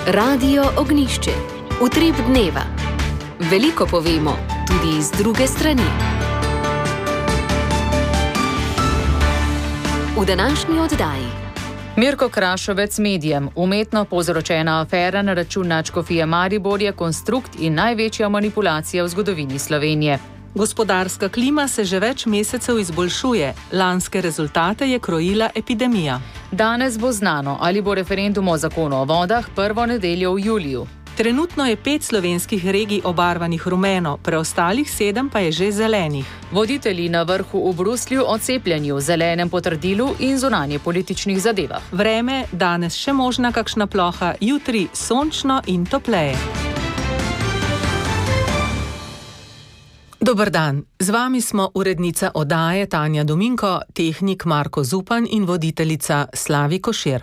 Radio Ognišče. Utrip dneva. Veliko povemo, tudi iz druge strani. V današnji oddaji. Mirko Krašovec medijem. Umetno povzročena afera na račun nadškofije Maribor je konstrukt in največja manipulacija v zgodovini Slovenije. Gospodarska klima se že več mesecev izboljšuje. Lanske rezultate je krojila epidemija. Danes bo znano, ali bo referendum o zakonu o vodah prvo nedeljo v juliju. Trenutno je 5 slovenskih regij obarvanih rumeno, preostalih 7 pa je že zelenih. Voditelji na vrhu v Bruslju o cepljenju, zelenem potrdilu in zunanje političnih zadevah. Vreme, danes še možna kakšna ploha, jutri sončno in topleje. Dober dan, z vami smo urednica oddaje Tanja Dominko, tehnik Marko Zupan in voditeljica Slavi Košir.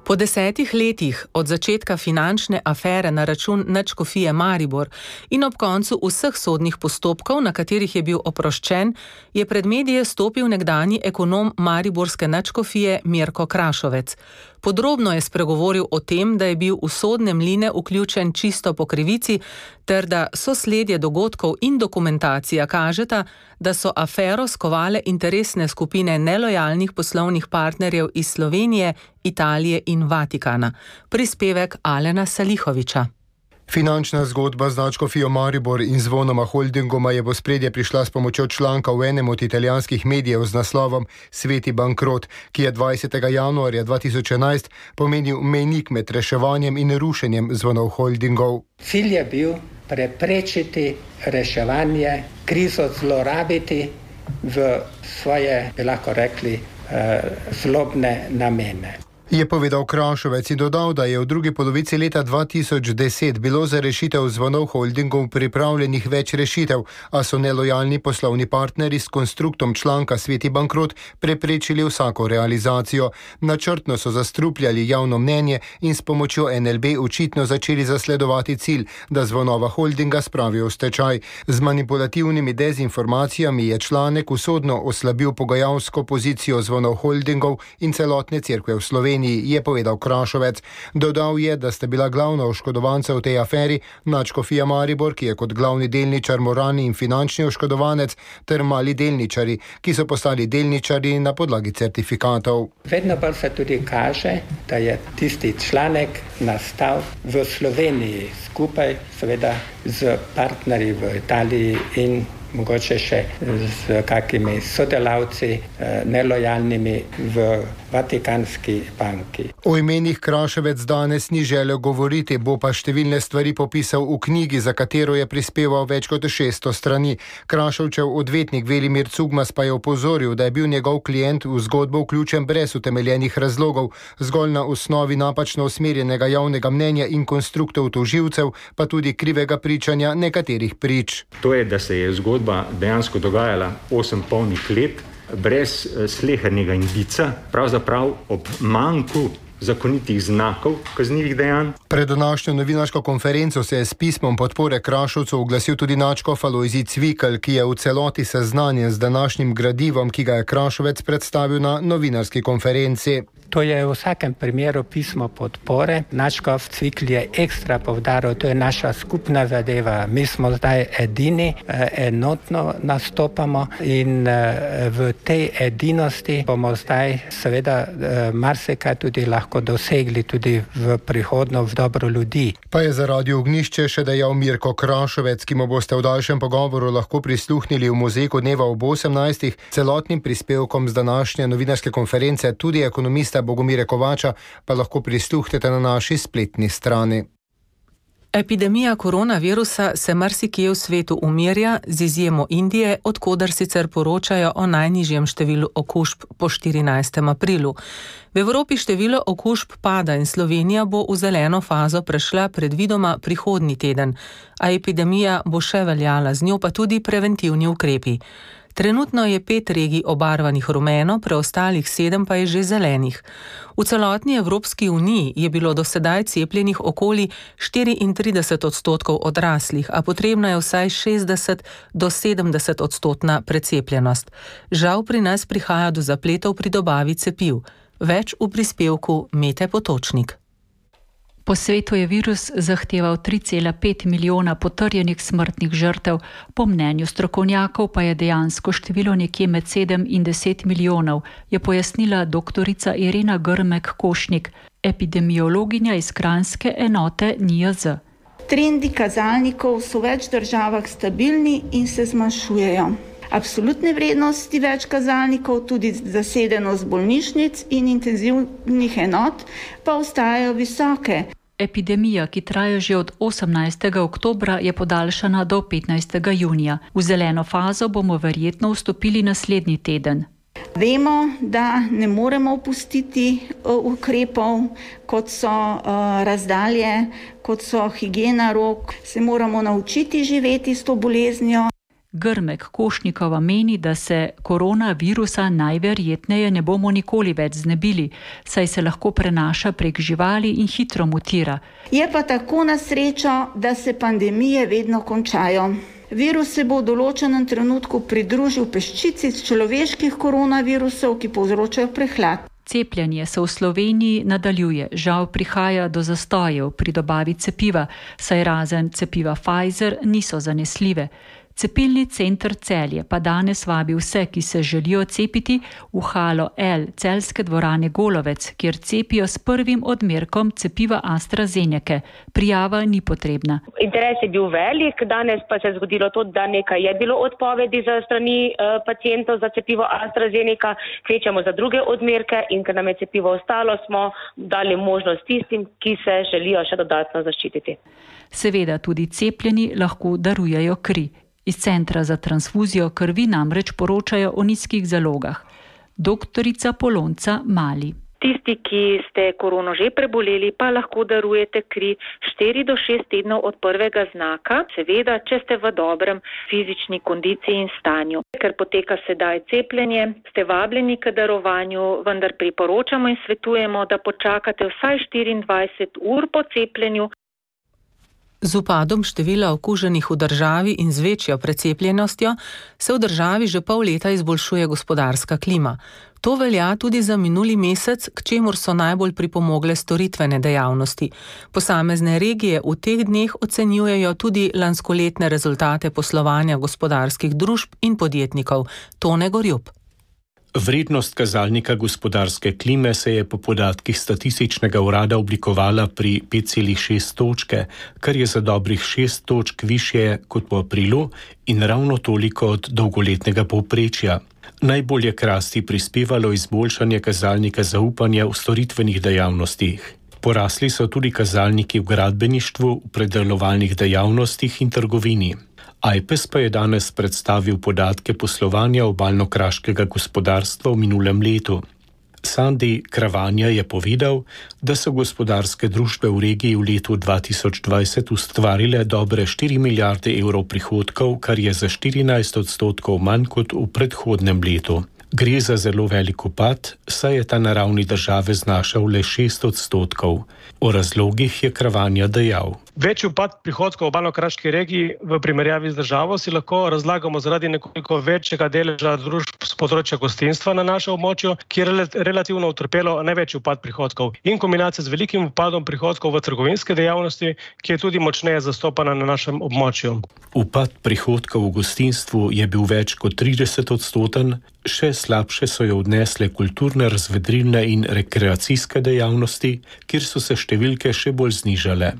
Po 10 letih od začetka finančne afere na račun nadškofije Maribor in ob koncu vseh sodnih postopkov, na katerih je bil oproščen, je pred medije stopil nekdanji ekonom mariborske nadškofije Mirko Krašovec. Podrobno je spregovoril o tem, da je bil v sodne mline vključen čisto po krivici, ter da sosledje dogodkov in dokumentacija kažeta, da so afero skovale interesne skupine nelojalnih poslovnih partnerjev iz Slovenije, Italije in Vatikana. Prispevek Alena Salihoviča. Finančna zgodba z nadškofijo Maribor in Zvonoma Holdingoma je v ospredje prišla s pomočjo članka v enem od italijanskih medijev z naslovom Sveti bankrot, ki je 20. januarja 2011 pomenil mejnik med reševanjem in rušenjem Zvonov Holdingov. Cilj je bil preprečiti reševanje, krizo zlorabiti v svoje, bi lahko rekli, zlobne namene. Je povedal Krašovec in dodal, da je v drugi polovici leta 2010 bilo za rešitev Zvonov Holdingov pripravljenih več rešitev, a so nelojalni poslovni partnerji s konstruktom članka Sveti bankrot preprečili vsako realizacijo. Načrtno so zastrupljali javno mnenje in s pomočjo NLB očitno začeli zasledovati cilj, da Zvonova Holdinga spravijo v stečaj. Z manipulativnimi dezinformacijami je članek usodno oslabil pogajalsko pozicijo Zvonov Holdingov in celotne cerkve v Sloveniji, je povedal Krašovec. Dodal je, da sta bila glavna oškodovanca v tej aferi nadškofija Maribor, ki je kot glavni delničar moralni in finančni oškodovanec, ter mali delničari, ki so postali delničari na podlagi certifikatov. Vedno bolj se tudi kaže, da je tisti članek nastal v Sloveniji skupaj seveda z partnerji v Italiji in mogoče še z kakimi sodelavci nelojalnimi v Vatikanski banki. O imenih Kraševec danes ni želel govoriti, bo pa številne stvari popisal v knjigi, za katero je prispeval več kot 600 strani. Krašovčev odvetnik Velimir Cugmas pa je opozoril, da je bil njegov klient v zgodbo vključen brez utemeljenih razlogov, zgolj na osnovi napačno usmerjenega javnega mnenja in konstruktov tožilcev, pa tudi krivega pričanja nekaterih prič. To je, da se je zgodba dejansko dogajala 8 polnih let, brez slehernega indica, pravzaprav ob manjku zakonitih znakov kaznivih dejanj. Pred današnjo novinarsko konferenco se je s pismom podpore Krašovcu oglasil tudi nadškof Alojzij Cvikl, ki je v celoti seznanjen z današnjim gradivom, ki ga je Krašovec predstavil na novinarski konferenci. To je v vsakem primeru pismo podpore. Nadškof Cvikl je ekstra poudaril, to je naša skupna zadeva. Mi smo zdaj edini, enotno nastopamo in v tej edinosti bomo zdaj seveda marsikaj tudi lahko dosegli tudi v prihodno v dobro ljudi. Pa je za Radio Ognišče še dejal Mirko Krašovec, ki mu boste v daljšem pogovoru lahko prisluhnili v Mozaiku dneva ob 18. Celotnim prispevkom z današnje novinarske konference tudi ekonomista Bogomira Kovača pa lahko prisluhnete na naši spletni strani. Epidemija koronavirusa se marsikje v svetu umirja, z izjemo Indije, odkoder sicer poročajo o najnižjem številu okužb po 14. aprilu. V Evropi število okužb pada in Slovenija bo v zeleno fazo prešla predvidoma prihodnji teden, a epidemija bo še veljala, z njo pa tudi preventivni ukrepi. Trenutno je 5 regij obarvanih rumeno, preostalih 7 pa je že zelenih. V celotni Evropski uniji je bilo do sedaj cepljenih okoli 34% odraslih, a potrebna je vsaj 60 do 70% precepljenost. Žal pri nas prihaja do zapletov pri dobavi cepiv. Več v prispevku Mete Potočnik. Po svetu je virus zahteval 3,5 milijona potrjenih smrtnih žrtev, po mnenju strokovnjakov pa je dejansko število nekje med 7 in 10 milijonov, je pojasnila doktorica Irena Grmek-Košnik, epidemiologinja iz kranjske enote NIJZ. Trendi kazalnikov so v več državah stabilni in se zmanjšujejo. Absolutne vrednosti več kazalnikov, tudi zasedenost bolnišnic in intenzivnih enot, pa ostajajo visoke. Epidemija, ki traja že od 18. oktobra, je podaljšana do 15. junija. V zeleno fazo bomo verjetno vstopili naslednji teden. Vemo, da ne moremo opustiti ukrepov, kot so razdalje, kot so higiena rok. Se moramo naučiti živeti s to boleznijo. Grmek-Košnikova meni, da se koronavirusa najverjetneje ne bomo nikoli več znebili, saj se lahko prenaša prek živali in hitro mutira. Je pa tako na srečo, da se pandemije vedno končajo. Virus se bo v določenem trenutku pridružil peščici človeških koronavirusov, ki povzročajo prehlad. Cepljenje se v Sloveniji nadaljuje. Žal prihaja do zastojev pri dobavi cepiva, saj razen cepiva Pfizer niso zanesljive. Cepilni center Celje pa danes vabi vse, ki se želijo cepiti, v halo L celjske dvorane Golovec, kjer cepijo s prvim odmerkom cepiva AstraZeneca. Prijava ni potrebna. Interes je bil velik, danes pa se je zgodilo to, da nekaj je bilo odpovedi za strani pacientov za cepivo AstraZeneca, kvečamo za druge odmerke in ker nam je cepivo ostalo, smo dali možnost tistim, ki se želijo še dodatno zaščititi. Seveda tudi cepljeni lahko darujejo kri. Iz centra za transfuzijo krvi namreč poročajo o nizkih zalogah. Doktorica Polonca Mali. Tisti, ki ste korono že preboleli, pa lahko darujete kri 4 do 6 tednov od prvega znaka, seveda, če ste v dobrem fizični kondiciji in stanju. Ker poteka sedaj cepljenje, ste vabljeni k darovanju, vendar priporočamo in svetujemo, da počakate vsaj 24 ur po cepljenju. Z upadom števila okuženih v državi in z večjo precepljenostjo se v državi že pol leta izboljšuje gospodarska klima. To velja tudi za minuli mesec, k čemur so najbolj pripomogle storitvene dejavnosti. Posamezne regije v teh dneh ocenjujejo tudi lanskoletne rezultate poslovanja gospodarskih družb in podjetnikov. Tone Gorjup. Vrednost kazalnika gospodarske klime se je po podatkih statističnega urada oblikovala pri 5,6 točke, kar je za dobrih 6 točk višje kot po aprilu in ravno toliko od dolgoletnega povprečja. Najbolj je k rasti prispevalo izboljšanje kazalnika zaupanja v storitvenih dejavnostih. Porasli so tudi kazalniki v gradbeništvu, v predelovalnih dejavnostih in trgovini. Ajpes pa je danes predstavil podatke poslovanja obalno-kraškega gospodarstva v minulem letu. Sandi Kravanja je povedal, da so gospodarske družbe v regiji v letu 2020 ustvarile dobre 4 milijarde evrov prihodkov, kar je za 14% manj kot v predhodnem letu. Gre za zelo velik upad, saj je ta na ravni države znašal le 6%. O razlogih je Kravanja dejal. Večji upad prihodkov v obalno-kraški regiji v primerjavi z državo si lahko razlagamo zaradi nekoliko večjega deleža družb z področja gostinstva na našem območju, ki je relativno utrpelo največji upad prihodkov, in kombinacija z velikim upadom prihodkov v trgovinske dejavnosti, ki je tudi močneje zastopana na našem območju. Upad prihodkov v gostinstvu je bil več kot 30%, še slabše so jo odnesle kulturne, razvedrilne in rekreacijske dejavnosti, kjer so se številke še bolj znižale.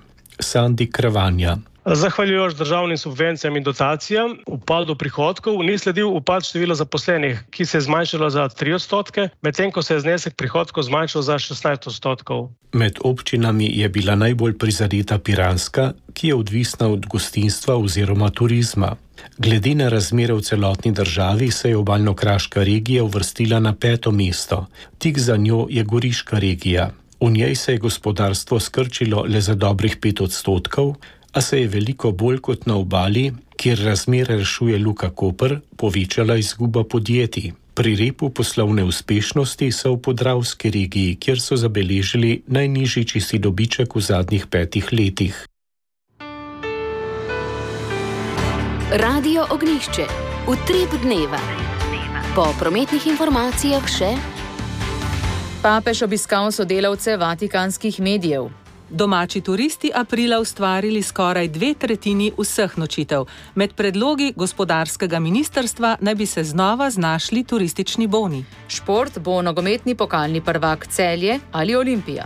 Sandi Kravanja. Zahvaljujoč državnim subvencijam in dotacijam, upadu prihodkov ni sledil upad števila zaposlenih, ki se je zmanjšalo za 3%, medtem ko se je znesek prihodkov zmanjšal za 16%. Med občinami je bila najbolj prizadeta Piranska, ki je odvisna od gostinstva oziroma turizma. Glede na razmere v celotni državi se je obalno-kraška regija uvrstila na 5. mesto. Tik za njo je Goriška regija. V njej se je gospodarstvo skrčilo le za dobrih 5%, a se je veliko bolj kot na obali, kjer razmere rešuje Luka Koper, povečala izguba podjetij. Pri repu poslovne uspešnosti so v Podravski regiji, kjer so zabeležili najnižji čisti dobiček v zadnjih 5 letih. Radio Ognjišče. Utrip dneva. Po prometnih informacijah še Papež obiskal sodelavce vatikanskih medijev. Domači turisti aprila ustvarili skoraj 2/3 vseh nočitev. Med predlogi gospodarskega ministrstva naj bi se znova znašli turistični boni. Šport bo nogometni pokalni prvak Celje ali Olimpija.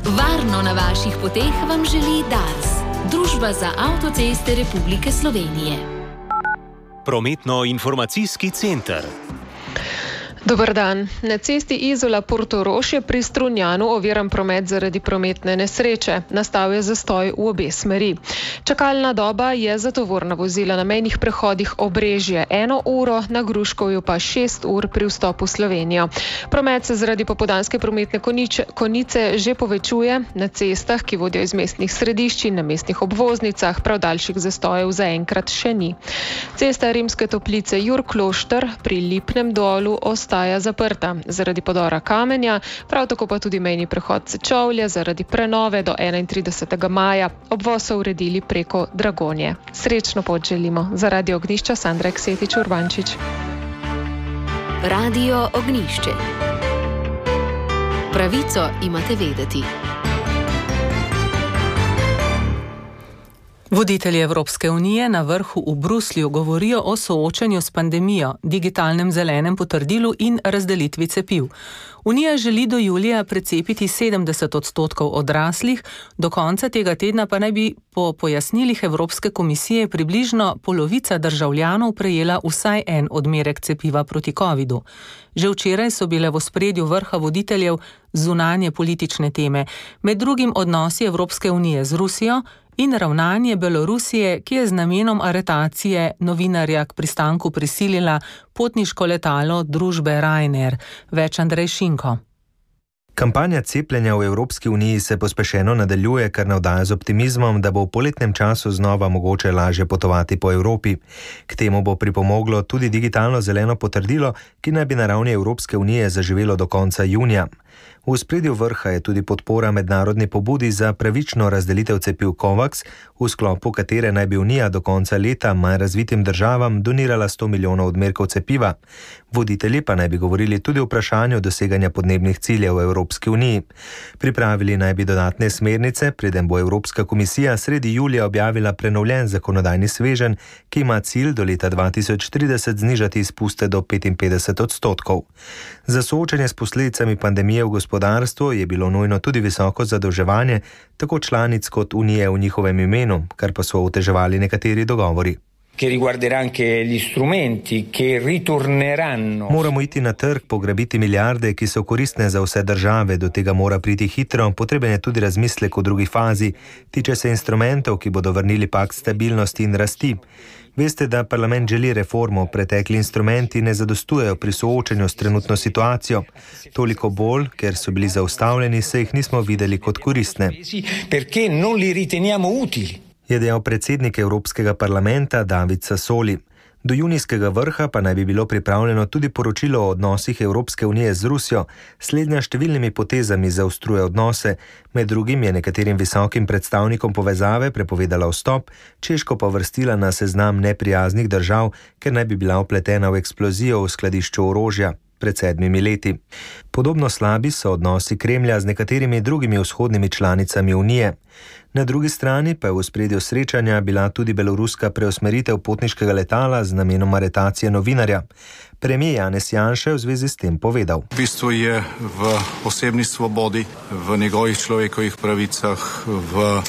Varno na vaših poteh vam želi Dars, Družba za avtoceste Republike Slovenije. Prometno-informacijski center. Dober dan. Na cesti Izola-Portorož je pri Strunjanu oviran promet zaradi prometne nesreče. Nastal je zastoj v obe smeri. Čakalna doba je za tovorna vozila na mejnih prehodih Obrežje 1 uro, na Gruškovju pa 6 ur pri vstopu v Slovenijo. Promet se zaradi popoldanske prometne konice že povečuje. Na cestah, ki vodijo iz mestnih središč in na mestnih obvoznicah, prav daljših zastojev zaenkrat še ni. Cesta Rimske Toplice Jurklošter pri Lipnem dolu ostaja zaprta zaradi podora kamenja, prav tako pa tudi mejni prehod Sečovlje zaradi prenove do 31. maja. Obvoz so uredili preko Dragonje. Srečno pot želimo. Za Radio Ognjišča Sandra Eksetič Urbančič. Radio Ognjišče. Pravico imate vedeti. Voditelji Evropske unije na vrhu v Bruslju govorijo o soočanju s pandemijo, digitalnem zelenem potrdilu in razdelitvi cepiv. Unija želi do julija precepiti 70% odraslih, do konca tega tedna pa naj bi po pojasnilih Evropske komisije približno polovica državljanov prejela vsaj en odmerek cepiva proti covidu. Že včeraj so bile v ospredju vrha voditeljev zunanje politične teme, med drugim odnosi Evropske unije z Rusijo in ravnanje Belorusije, ki je z namenom aretacije novinarja k pristanku prisilila potniško letalo družbe Ryanair. Več Andrej Šinko. Kampanja cepljenja v Evropski uniji se pospešeno nadaljuje, kar navdaja z optimizmom, da bo v poletnem času znova mogoče lažje potovati po Evropi. K temu bo pripomoglo tudi digitalno zeleno potrdilo, ki naj bi na ravni Evropske unije zaživelo do konca junija. V ospredju vrha je tudi podpora mednarodni pobudi za pravično razdelitev cepiv COVAX, v sklopu katere naj bi Unija do konca leta manj razvitim državam donirala 100 milijonov odmerkov cepiva. Voditelji pa naj bi govorili tudi o vprašanju doseganja podnebnih ciljev v Evropski uniji. Pripravili naj bi dodatne smernice, preden bo Evropska komisija sredi julija objavila prenovljen zakonodajni sveženj, ki ima cilj do leta 2030 znižati izpuste do 55%. Za soočanje s posledicami pandemije v gospodarstvu je bilo nujno tudi visoko zadolževanje, tako članic kot Unije v njihovem imenu, kar pa so oteževali nekateri dogovori. Moramo iti na trg, pograbiti milijarde, ki so koristne za vse države, do tega mora priti hitro, potreben je tudi razmislek v drugi fazi, tiče se instrumentov, ki bodo vrnili pakt stabilnosti in rasti. Veste, da parlament želi reformo, pretekli instrumenti ne zadostujejo pri soočanju s trenutno situacijo. Toliko bolj, ker so bili zaustavljeni, se jih nismo videli kot koristne. Je dejal predsednik Evropskega parlamenta David Sassoli. Do junijskega vrha pa naj bi bilo pripravljeno tudi poročilo o odnosih Evropske unije z Rusijo. Slednja številnimi potezami zaostruje odnose, med drugim je nekaterim visokim predstavnikom povezave prepovedala vstop, Češko pa vrstila na seznam neprijaznih držav, ker naj bi bila vpletena v eksplozijo v skladišču orožja pred 7 leti. Podobno slabi so odnosi Kremlja z nekaterimi drugimi vzhodnimi članicami Unije. Na drugi strani pa je v ospredju srečanja bila tudi beloruska preusmeritev potniškega letala z namenom aretacije novinarja. Premijer Janez Janša je v zvezi s tem povedal. V bistvu je v osebni svobodi, v njegovih človekovih pravicah, v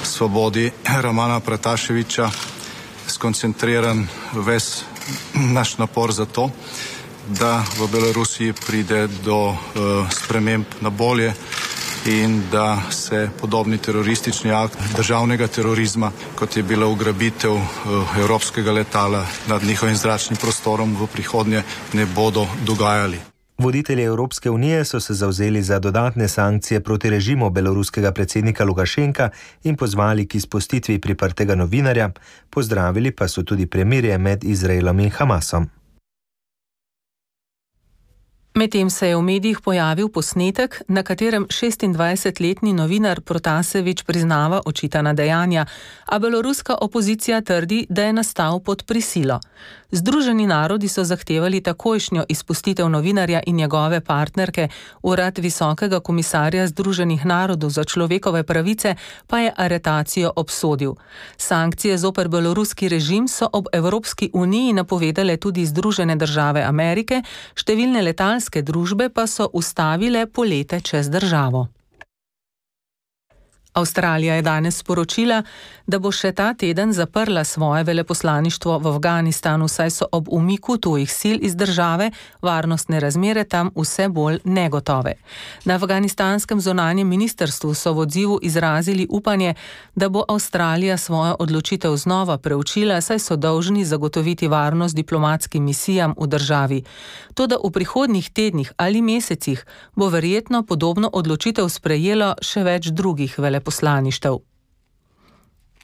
svobodi Romana Prataševića skoncentriran ves naš napor za to, da v Belorusiji pride do sprememb na bolje in da se podobni teroristični akt državnega terorizma, kot je bila ugrabitev evropskega letala nad njihovim zračnim prostorom, v prihodnje ne bodo dogajali. Voditelji Evropske unije so se zavzeli za dodatne sankcije proti režimu beloruskega predsednika Lukašenka in pozvali k izpustitvi priprtega novinarja, pozdravili pa so tudi premirje med Izraelom in Hamasom. Medtem se je v medijih pojavil posnetek, na katerem 26-letni novinar Protasevič priznava očitana dejanja, a beloruska opozicija trdi, da je nastal pod prisilo. Združeni narodi so zahtevali takojšnjo izpustitev novinarja in njegove partnerke, urad Visokega komisarja Združenih narodov za človekove pravice pa je aretacijo obsodil. Sankcije zoper beloruski režim so ob Evropski uniji napovedale tudi Združene države Amerike, številne letalske družbe pa so ustavile polete čez državo. Avstralija je danes sporočila, da bo še ta teden zaprla svoje veleposlaništvo v Afganistanu, saj so ob umiku tujih sil iz države varnostne razmere tam vse bolj negotove. Na afganistanskem zunanjem ministrstvu so v odzivu izrazili upanje, da bo Avstralija svojo odločitev znova preučila, saj so dolžni zagotoviti varnost diplomatskim misijam v državi. Toda v prihodnjih tednih ali mesecih bo verjetno podobno odločitev sprejelo še več drugih veleposlaništev.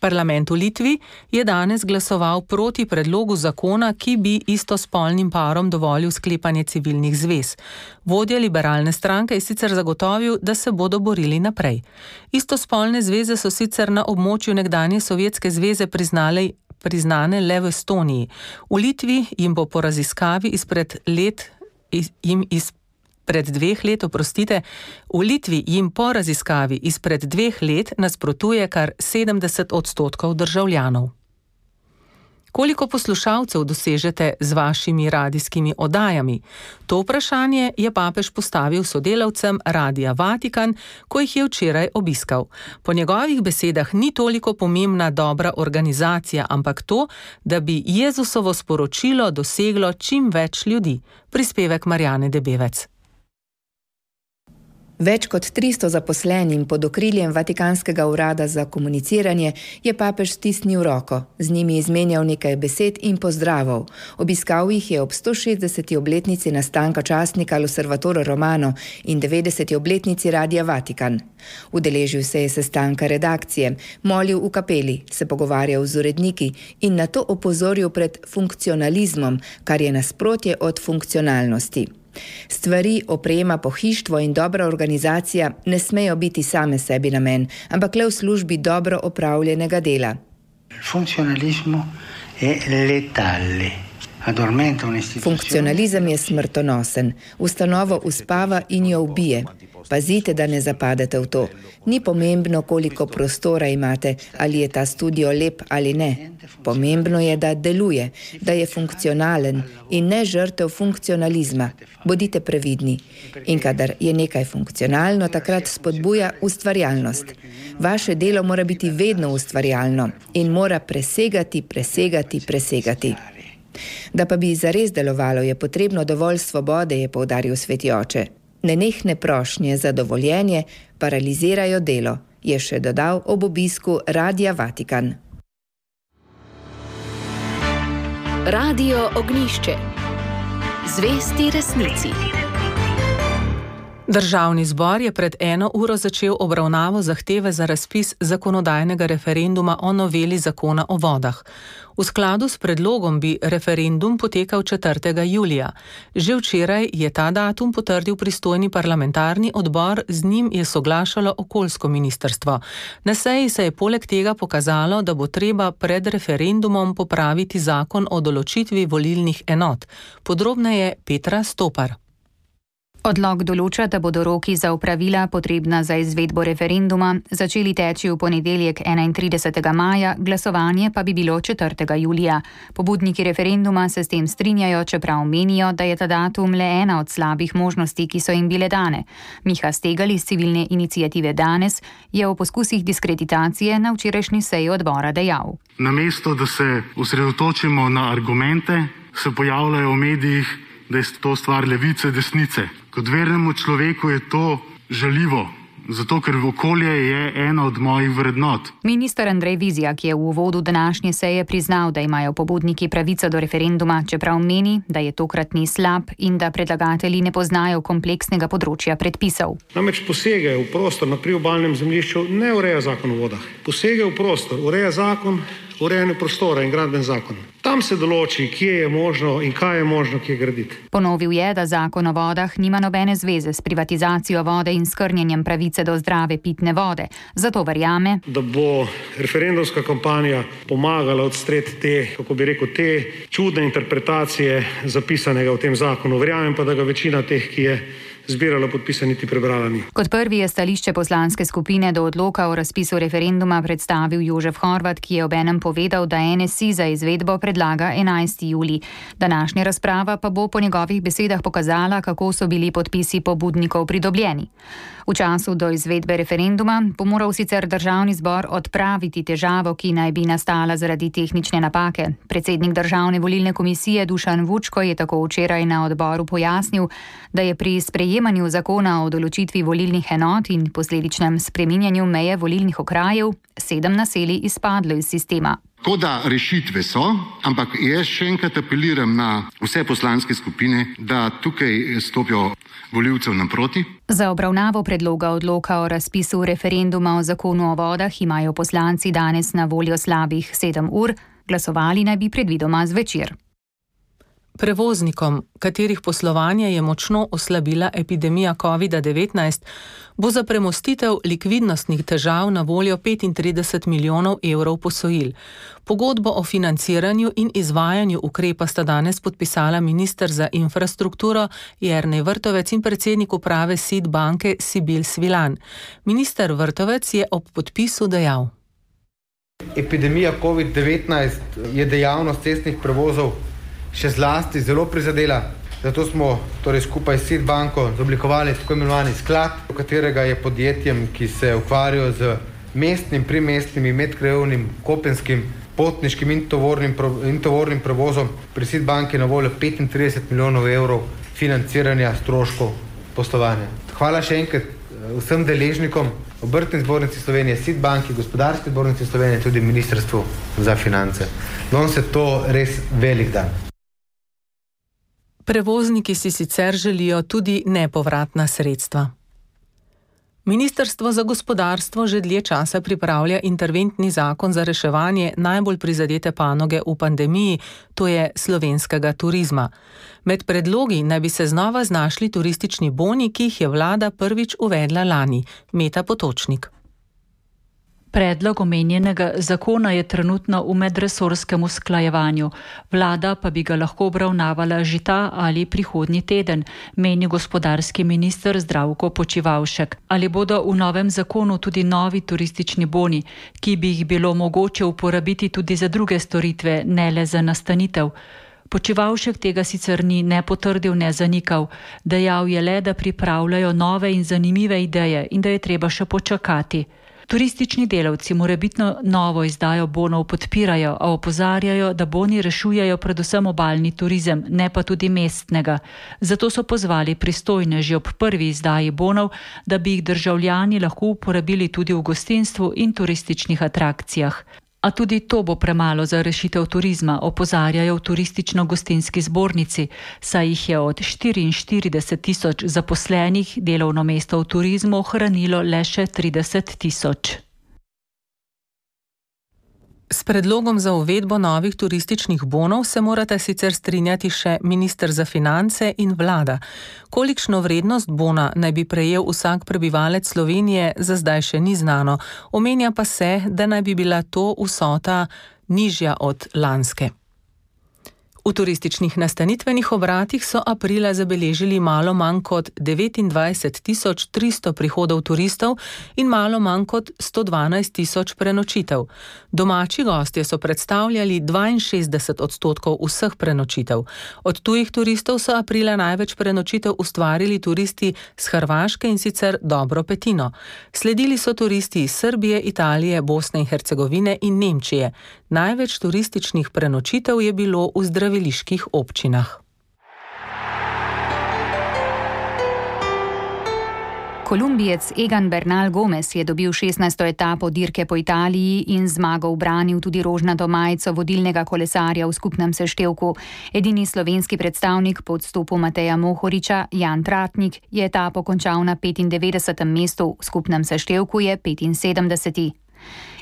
Parlament v Litvi je danes glasoval proti predlogu zakona, ki bi istospolnim parom dovolil sklepanje civilnih zvez. Vodja liberalne stranke je sicer zagotovil, da se bodo borili naprej. Istospolne zveze so sicer na območju nekdanje Sovjetske zveze priznane le v Estoniji. V Litvi jim bo po raziskavi v Litvi jim po raziskavi izpred 2 let nasprotuje kar 70% državljanov. Koliko poslušalcev dosežete z vašimi radijskimi oddajami? To vprašanje je papež postavil sodelavcem Radia Vatikan, ko jih je včeraj obiskal. Po njegovih besedah ni toliko pomembna dobra organizacija, ampak to, da bi Jezusovo sporočilo doseglo čim več ljudi. Prispevek Marjane Debevec. Več kot 300 zaposlenim pod okriljem Vatikanskega urada za komuniciranje je papež stisnil roko, z njimi izmenjal nekaj besed in pozdravov. Obiskal jih je ob 160. obletnici nastanka časnika L'Osservatore Romano in 90. obletnici Radia Vatikan. Udeležil se je sestanka redakcije, molil v kapeli, se pogovarjal z uredniki in nato opozoril pred funkcionalizmom, kar je nasprotje od funkcionalnosti. Stvari, oprema, pohištvo in dobra organizacija ne smejo biti same sebi namen, ampak le v službi dobro opravljenega dela. Funkcionalizem je smrtonosen, ustanovo uspava in jo ubije. Pazite, da ne zapadete v to. Ni pomembno, koliko prostora imate, ali je ta studio lep ali ne. Pomembno je, da deluje, da je funkcionalen in ne žrtev funkcionalizma. Bodite previdni. In kadar je nekaj funkcionalno, takrat spodbuja ustvarjalnost. Vaše delo mora biti vedno ustvarjalno in mora presegati. Da pa bi zares delovalo, je potrebno dovolj svobode, je poudaril sveti oče. Nenehne prošnje za dovoljenje paralizirajo delo, je še dodal ob obisku Radia Vatikan. Radio Ognjišče. Zvesti resnici. Državni zbor je pred 1 uro začel obravnavo zahteve za razpis zakonodajnega referenduma o noveli zakona o vodah. V skladu s predlogom bi referendum potekal 4. julija. Že včeraj je ta datum potrdil pristojni parlamentarni odbor, z njim je soglašalo okoljsko ministrstvo. Na seji se je poleg tega pokazalo, da bo treba pred referendumom popraviti zakon o določitvi volilnih enot. Podrobneje Petra Stopar. Odlok določa, da bodo roki za opravila potrebna za izvedbo referenduma začeli teči v ponedeljek 31. maja, glasovanje pa bi bilo 4. julija. Pobudniki referenduma se s tem strinjajo, čeprav menijo, da je ta datum le ena od slabih možnosti, ki so jim bile dane. Miha Stegal iz civilne iniciative Danes je o poskusih diskreditacije na včerajšnji seji odbora dejal. Namesto, da se osredotočimo na argumente, se pojavljajo v medijih, da je to stvar levice, desnice. Kot vernemu človeku je to žaljivo, zato ker okolje je ena od mojih vrednot. Minister Andrej Vizjak je v uvodu današnje seje priznal, da imajo pobudniki pravico do referenduma, čeprav meni, da je tokratni slab in da predlagatelji ne poznajo kompleksnega področja predpisov. Namreč posege v prostor na priobalnem zemljišču ne ureja zakon o vodah. Posege v prostor ureja zakon o urejanju prostora in gradbeni zakon. Ta Tam se določi, kje je možno in kaj je možno kje graditi. Ponovil je, da zakon o vodah nima nobene zveze s privatizacijo vode in skrnjenjem pravice do zdrave pitne vode. Zato verjame, da bo referendumska kampanja pomagala odstreti te čudne interpretacije zapisanega v tem zakonu. Verjamem pa, da ga večina teh, ki je zbirala podpise, niti prebrala ni. Kot prvi je stališče poslanske skupine do odloka o razpisu referenduma predstavil Jožef Horvat, ki je obenem povedal, da NSI za izvedbo predlaga 11. julij. Današnja razprava pa bo po njegovih besedah pokazala, kako so bili podpisi pobudnikov pridobljeni. V času do izvedbe referenduma bo moral sicer državni zbor odpraviti težavo, ki naj bi nastala zaradi tehnične napake. Predsednik Državne volilne komisije Dušan Vučko je tako včeraj na odboru pojasnil, da je pri sprejemanju zakona o določitvi volilnih enot in posledičnem spreminjanju meje volilnih okrajev 7 naselij izpadlo iz sistema. Tako da rešitve so, ampak jaz še enkrat apeliram na vse poslanske skupine, da tukaj stopijo volivcev naproti. Za obravnavo predloga odloka o razpisu referenduma o zakonu o vodah imajo poslanci danes na voljo slabih 7 ur, glasovali naj bi predvidoma zvečer. Prevoznikom, katerih poslovanje je močno oslabila epidemija COVID-19, bo za premostitev likvidnostnih težav na voljo 35 milijonov evrov posojil. Pogodbo o financiranju in izvajanju ukrepa sta danes podpisala minister za infrastrukturo Jernej Vrtovec in predsednik uprave SID banke Sibil Svilan. Minister Vrtovec je ob podpisu dejal: Epidemija COVID-19 je dejavnost cestnih prevozov še zlasti zelo prizadela, zato smo skupaj s SID banko oblikovali tako imenovani sklad, v katerega je podjetjem, ki se ukvarjajo z mestnim, primestnim, medkrajevnim, kopenskim, potniškim in tovornim prevozom, pri SID banki na voljo 35 milijonov evrov financiranja stroškov poslovanja. Hvala še enkrat vsem deležnikom, Obrtni zbornici Slovenije, SID banki, Gospodarski zbornici Slovenije, tudi Ministrstvu za finance. Danes je to res velik dan. Prevozniki si sicer želijo tudi nepovratna sredstva. Ministrstvo za gospodarstvo že dlje časa pripravlja interventni zakon za reševanje najbolj prizadete panoge v pandemiji, to je slovenskega turizma. Med predlogi naj bi se znova znašli turistični boni, ki jih je vlada prvič uvedla lani. Meta Potočnik. Predlog omenjenega zakona je trenutno v medresorskem usklajevanju. Vlada pa bi ga lahko obravnavala že ta ali prihodnji teden, meni gospodarski minister Zdravko Počivalšek. Ali bodo v novem zakonu tudi novi turistični boni, ki bi jih bilo mogoče uporabiti tudi za druge storitve, ne le za nastanitev? Počivalšek tega sicer ni ne potrdil, ne zanikal. Dejal je le, da pripravljajo nove in zanimive ideje in da je treba še počakati. Turistični delavci morebitno novo izdajo bonov podpirajo, a opozarjajo, da boni rešujejo predvsem obalni turizem, ne pa tudi mestnega. Zato so pozvali pristojne že ob prvi izdaji bonov, da bi jih državljani lahko uporabili tudi v gostinstvu in turističnih atrakcijah. A tudi to bo premalo za rešitev turizma, opozarjajo v turistično-gostinski zbornici, saj jih je od 44 tisoč zaposlenih delovno mesto v turizmu ohranilo le še 30 tisoč. S predlogom za uvedbo novih turističnih bonov se morata sicer strinjati še minister za finance in vlada. Kolikšno vrednost bona naj bi prejel vsak prebivalec Slovenije, za zdaj še ni znano. Omenja pa se, da naj bi bila to vsota nižja od lanske. V turističnih nastanitvenih obratih so aprila zabeležili malo manj kot 29.300 prihodov turistov in malo manj kot 112.000 prenočitev. Domači gostje so predstavljali 62% vseh prenočitev. Od tujih turistov so aprila največ prenočitev ustvarili turisti z Hrvaške in sicer dobro petino. Sledili so turisti iz Srbije, Italije, Bosne in Hercegovine in Nemčije. Največ turističnih prenočitev je bilo v zdraviliških občinah. Kolumbijec Egan Bernal Gomez je dobil 16. etapo dirke po Italiji in zmago ubranil tudi rožnato majico vodilnega kolesarja v skupnem seštevku. Edini slovenski predstavnik po odstopu Mateja Mohoriča, Jan Tratnik, je etapo končal na 95. mestu, v skupnem seštevku je 75.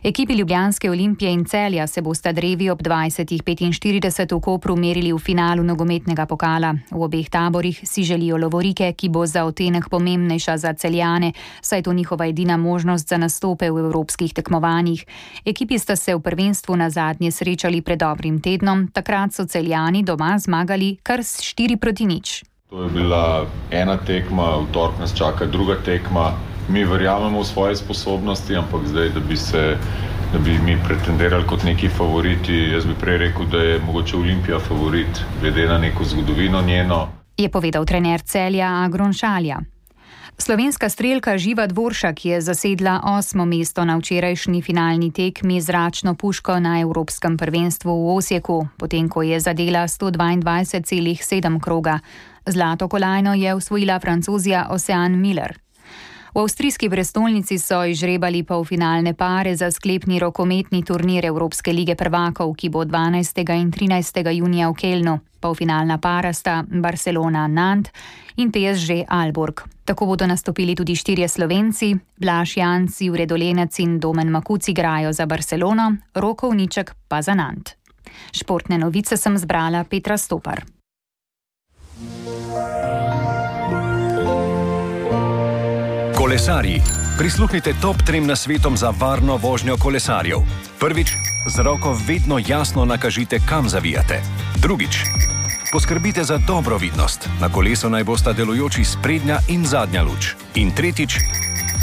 Ekipi Ljubljanske Olimpije in Celja se bosta drevi ob 20:45 v Kopru merili v finalu nogometnega pokala. V obeh taborih si želijo lovorike, ki bo za odtenek pomembnejša za Celjane, saj je to njihova edina možnost za nastope v evropskih tekmovanjih. Ekipi sta se v prvenstvu nazadnje srečali pred dobrim tednom, takrat so Celjani doma zmagali kar s 4-0. To je bila ena tekma, v torek nas čaka druga tekma. Mi verjamemo v svoje sposobnosti, ampak zdaj, da bi mi pretendirali kot neki favoriti, jaz bi prej rekel, da je mogoče Olimpija favorit, glede na neko zgodovino njeno. Je povedal trener Celja Agron Šalja. Slovenska strelka Živa Dvoršak je zasedla 8. mesto na včerajšnji finalni tekmi z zračno puško na Evropskem prvenstvu v Osijeku, potem ko je zadela 122,7 kroga. Zlato kolajno je osvojila Francozija Ocean Miller. V avstrijski prestolnici so izžrebali polfinalne pare za sklepni rokometni turnir Evropske lige prvakov, ki bo 12. in 13. junija v Kelnu. Polfinalna para sta Barcelona-Nantes in PSG Aalborg. Tako bodo nastopili tudi 4 Slovenci, Blaž Janc, Jure Dolenec in Domen Makuc igrajo za Barcelono, Roko Uniček pa za Nantes. Športne novice sem zbrala Petra Stopar. Kolesarji, prisluhnite top 3 nasvetom za varno vožnjo kolesarjev. Prvič, z roko vedno jasno nakažite, kam zavijate. Drugič, poskrbite za dobro vidnost. Na kolesu naj bosta delujoči sprednja in zadnja luč. In tretjič,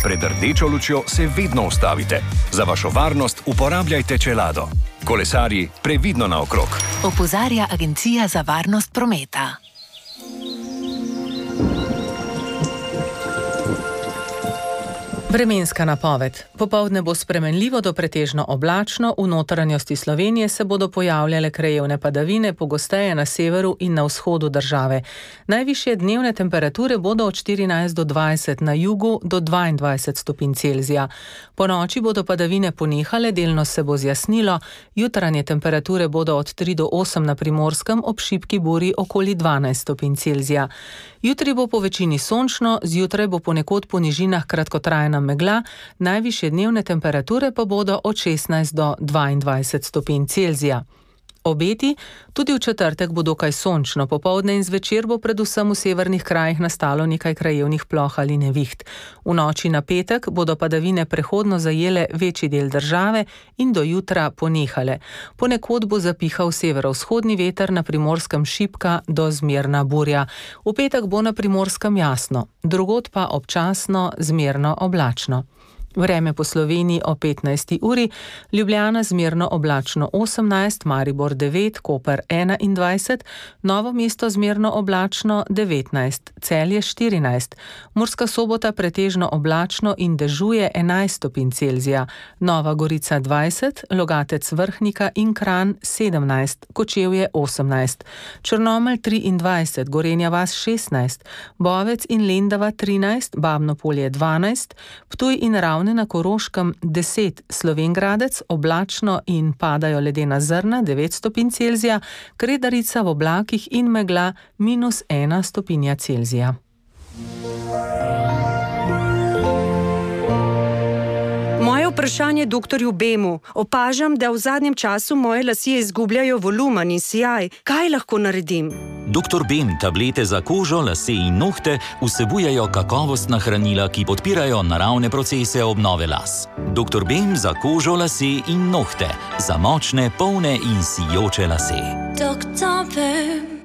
pred rdečo lučjo se vedno ustavite. Za vašo varnost uporabljajte čelado. Kolesarji, previdno naokrog. Opozarja Agencija za varnost prometa. Vremenska napoved. Popoldne bo spremenljivo do pretežno oblačno, v notranjosti Slovenije se bodo pojavljale krajevne padavine, pogosteje na severu in na vzhodu države. Najvišje dnevne temperature bodo od 14 do 20, na jugu do 22 stopinj Celzija. Po noči bodo padavine ponehale, delno se bo zjasnilo, jutranje temperature bodo od 3 do 8 na Primorskem, ob šibki buri okoli 12 stopinj Celzija. Jutri bo po večini sončno, zjutraj bo ponekod po nižinah kratkotrajna megla, najvišje dnevne temperature pa bodo od 16 do 22 stopinj Celzija. Obeti, tudi v četrtek bo dokaj sončno, popoldne in zvečer bo predvsem v severnih krajih nastalo nekaj krajevnih ploh ali neviht. V noči na petek bodo padavine prehodno zajele večji del države in do jutra ponehale. Ponekod bo zapihal severovzhodni veter, na Primorskem šibka do zmerna burja. V petek bo na Primorskem jasno, drugod pa občasno zmerno oblačno. Vreme po Sloveniji o 15. uri, Ljubljana zmerno oblačno 18, Maribor 9, Koper 21, Novo mesto zmerno oblačno 19, Celje 14, Murska Sobota pretežno oblačno in dežuje 11 stopinj Celzija, Nova Gorica 20, Logatec Vrhnika in Kranj 17, Kočevje 18, Črnomelj 23, Gorenja vas 16, Bovec in Lendava 13, Babno Polje 12, Ptuj in Ravne na Koroškem 10, Slovengradec oblačno in padajo ledena zrna 9 stopinj Celzija, Kredarica v oblakih in megla -1 stopinja Celzija. Moje vprašanje doktorju Bemu. Opažam, da v zadnjem času moje lasje izgubljajo volumen in sijaj. Kaj lahko naredim? Dr. Bem tablete za kožo, lase in nohte vsebujejo kakovostna hranila, ki podpirajo naravne procese obnove las. Dr. Bem za kožo, lase in nohte. Za močne, polne in sijoče lase. Dr. Bem.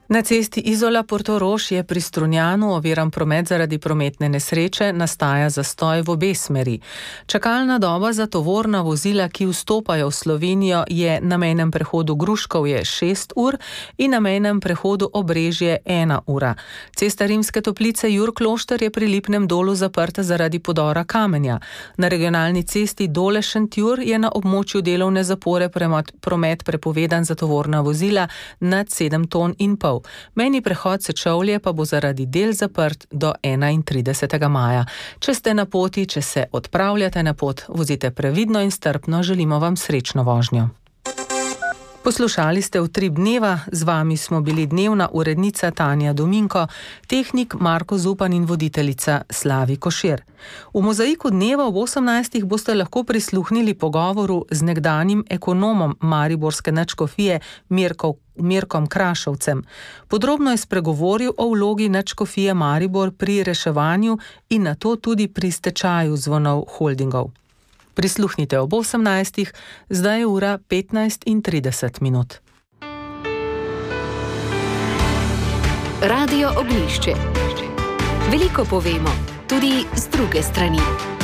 Na cesti Izola-Portorož je pri Strunjanu oviran promet zaradi prometne nesreče, nastaja zastoj v obe smeri. Čakalna doba za tovorna vozila, ki vstopajo v Slovenijo, je na mejnem prehodu Gruškovje 6 ur in na mejnem prehodu Obrežje 1 ura. Cesta Rimske Toplice Jurklošter je pri Lipnem Dolu zaprta zaradi podora kamenja. Na regionalni cesti Dole-Šentjur je na območju delovne zapore promet prepovedan za tovorna vozila nad 7 ton in pol. Mejni prehod Sečovlje pa bo zaradi del zaprt do 31. maja. Če ste na poti, če se odpravljate na pot, vozite previdno in strpno, želimo vam srečno vožnjo. Poslušali ste Utrip dneva, z vami smo bili dnevna urednica Tanja Dominko, tehnik Marko Zupan in voditeljica Slavi Košir. V Mozaiku dneva ob 18. boste lahko prisluhnili pogovoru z nekdanjim ekonomom mariborske nadškofije Mirkom Krašovcem. Podrobno je spregovoril o vlogi nadškofije Maribor pri reševanju in nato tudi pri stečaju Zvonov holdingov. Prisluhnite ob 18. Zdaj je ura 15:30. Radio Oglišče. Veliko povemo, tudi z druge strani.